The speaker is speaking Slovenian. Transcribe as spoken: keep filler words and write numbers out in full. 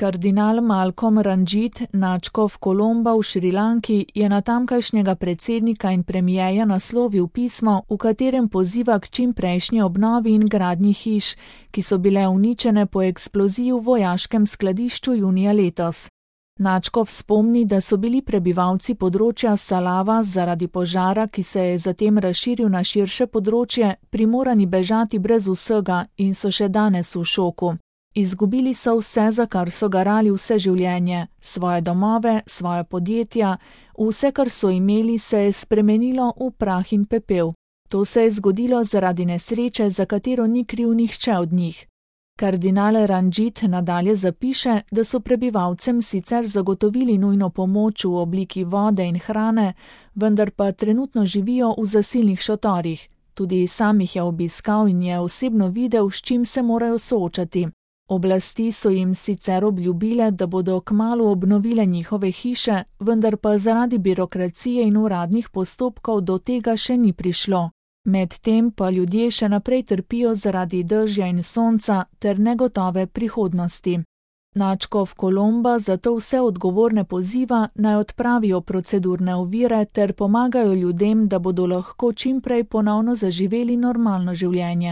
Kardinal Malcolm Ranjit, nadškof Kolomba v Šrilanki, je na tamkajšnjega predsednika in premierja naslovil pismo, v katerem poziva k čimprejšnji obnovi in gradnji hiš, ki so bile uničene po eksploziji v vojaškem skladišču junija letos. Nadškof spomni, da so bili prebivalci področja Salava zaradi požara, ki se je zatem razširil na širše področje, primorani bežati brez vsega in so še danes v šoku. Izgubili so vse, za kar so garali vse življenje, svoje domove, svoje podjetja, vse, kar so imeli, se je spremenilo v prah in pepel. To se je zgodilo zaradi nesreče, za katero ni kriv nihče od njih. Kardinal Ranjit nadalje zapiše, da so prebivalcem sicer zagotovili nujno pomoč v obliki vode in hrane, vendar pa trenutno živijo v zasilnih šotorih. Tudi sam jih je obiskal in je osebno videl, s čim se morajo soočati. Oblasti so jim sicer obljubile, da bodo kmalu obnovile njihove hiše, vendar pa zaradi birokracije in uradnih postopkov do tega še ni prišlo. Medtem pa ljudje še naprej trpijo zaradi dežja in sonca ter negotove prihodnosti. Nadškof Kolomba zato vse odgovorne poziva, naj odpravijo procedurne ovire ter pomagajo ljudem, da bodo lahko čimprej ponovno zaživeli normalno življenje.